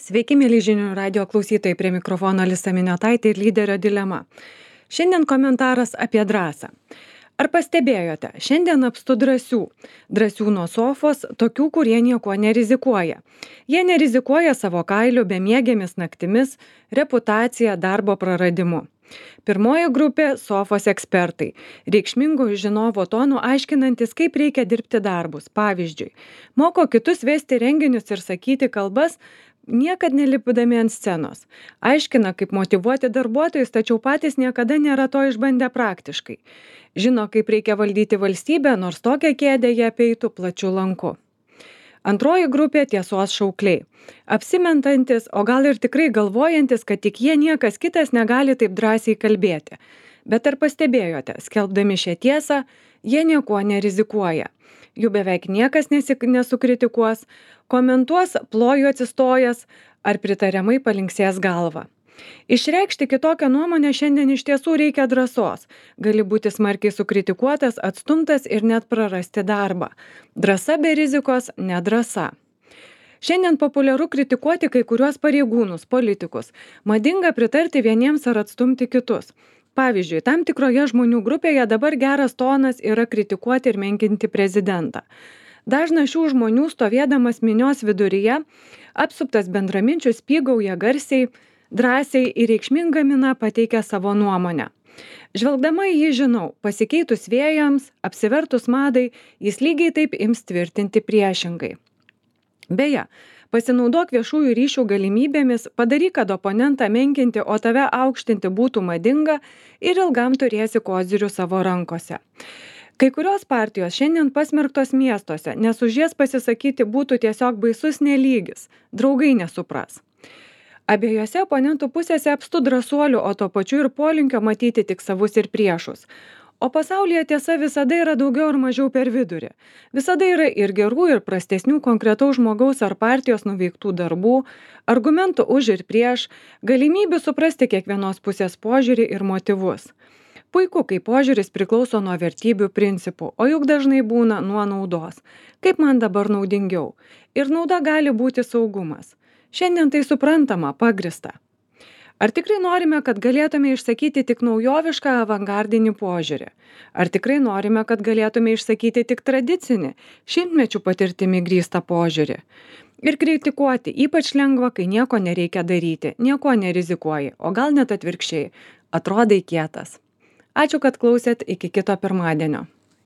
Sveiki, mėly žinių radio klausytojai, prie mikrofono Alisa Miniotaitė ir lyderio dilema. Šiandien komentaras apie drąsą. Ar pastebėjote, šiandien apstu drąsių. Drąsių nuo sofos, tokių, kurie niekuo nerizikuoja. Jie nerizikuoja savo kailiu, bemiegėmis naktimis, reputacija, darbo praradimu. Pirmoji grupė – sofos ekspertai. Reikšmingų žinovo tonų aiškinantis, kaip reikia dirbti darbus. Pavyzdžiui, moko kitus vesti renginius ir sakyti kalbas, niekad nelipdami ant scenos. Aiškina, kaip motyvuoti darbuotojus, tačiau patys niekada nėra to išbandę praktiškai. Žino, kaip reikia valdyti valstybę, nors tokią kėdę jie apeitų plačiu lanku. Antroji grupė – tiesos šaukliai. Apsimentantis, o gal ir tikrai galvojantis, kad tik jie niekas kitas negali taip drąsiai kalbėti. Bet ar pastebėjote, skelbdami šią tiesą, jie niekuo nerizikuoja. Jų beveik niekas nesukritikuos, komentuos ploju atsistojęs ar pritariamai palinksės galvą. Išreikšti kitokią nuomonę šiandien iš tiesų reikia drąsos. Gali būti smarkiai sukritikuotas, atstumtas ir net prarasti darbą. Drąsa be rizikos – nedrąsa. Šiandien populiaru kritikuoti kai kuriuos pareigūnus, politikus. Madinga pritarti vieniems ar atstumti kitus. Pavyzdžiui, tam tikroje žmonių grupėje dabar geras tonas yra kritikuoti ir menkinti prezidentą. Dažnas šių žmonių stovėdamas minios viduryje, apsuptas bendraminčių spygauja garsiai, drąsiai ir reikšminga mina pateikia savo nuomonę. Žvelgdama į jį žinau, pasikeitus vėjams, apsivertus madai, jis lygiai taip ims tvirtinti priešingai. Beje, pasinaudok viešųjų ryšių galimybėmis, padaryk, kad oponentą menkinti, o tave aukštinti būtų madinga ir ilgam turėsi kozirių savo rankose. Kai kurios partijos šiandien pasmerktos miestuose, nes už jas pasisakyti būtų tiesiog baisus nelygis, draugai nesupras. Abiejose oponentų pusėse apstu drąsuolių, o to pačiu ir polinkio matyti tik savus ir priešus. O pasaulyje tiesa visada yra daugiau ar mažiau per vidurį. Visada yra ir gerų, ir prastesnių konkretaus žmogaus ar partijos nuveiktų darbų, argumentų už ir prieš, galimybių suprasti kiekvienos pusės požiūrį ir motyvus. Puiku, kai požiūris priklauso nuo vertybių principų, o juk dažnai būna nuo naudos. Kaip man dabar naudingiau? Ir nauda gali būti saugumas. Šiandien tai suprantama, pagrįsta. Ar tikrai norime, kad galėtume išsakyti tik naujovišką avangardinį požiūrį? Ar tikrai norime, kad galėtume išsakyti tik tradicinį, šimtmečių patirtimi grįstą požiūrį? Ir kritikuoti ypač lengva, kai nieko nereikia daryti, nieko nerizikuoji, o gal net atvirkščiai, atrodai kietas. Ačiū, kad klausėt, iki kito pirmadienio.